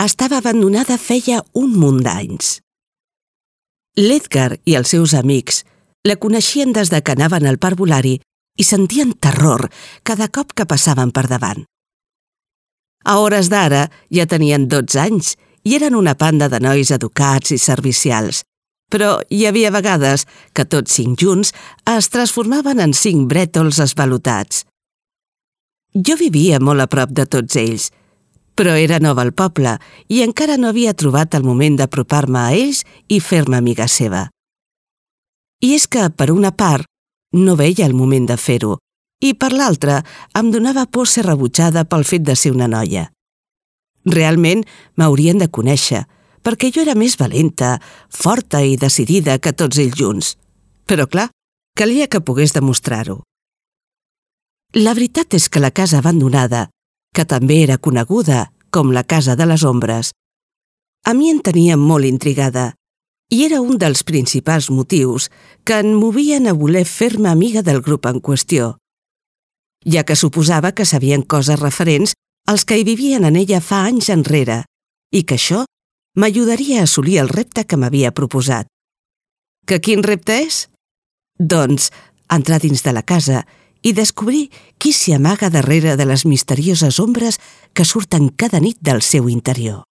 estava abandonada feia un munt d'anys. L'Edgar i els seus amics la coneixien des de que anaven al parvulari i sentien terror cada cop que passaven per davant. A hores d'ara ja tenien 12 anys i eren una panda de nois educats i servicials, però hi havia vegades que tots 5 junts es transformaven en 5 brètols esvalotats. Jo vivia molt a prop de tots ells, però era nova al poble i encara no havia trobat el moment d'apropar-me a ells i fer-me amiga seva. I és que, per una part, no veia el moment de fer-ho, i per l'altra em donava por ser rebutjada pel fet de ser una noia. Realment m'haurien de conèixer, perquè jo era més valenta, forta i decidida que tots ells junts. Però clar, calia que pogués demostrar-ho. La veritat és que la casa abandonada, que també era coneguda com la Casa de les Ombres, a mi em tenia molt intrigada i era un dels principals motius que em movien a voler fer-me amiga del grup en qüestió, ja que suposava que sabien coses referents als que hi vivien en ella fa anys enrere i que això m'ajudaria a assolir el repte que m'havia proposat. Que quin repte és? Doncs entrar dins de la casa i descobrir qui s'hi amaga darrere de les misterioses ombres que surten cada nit del seu interior.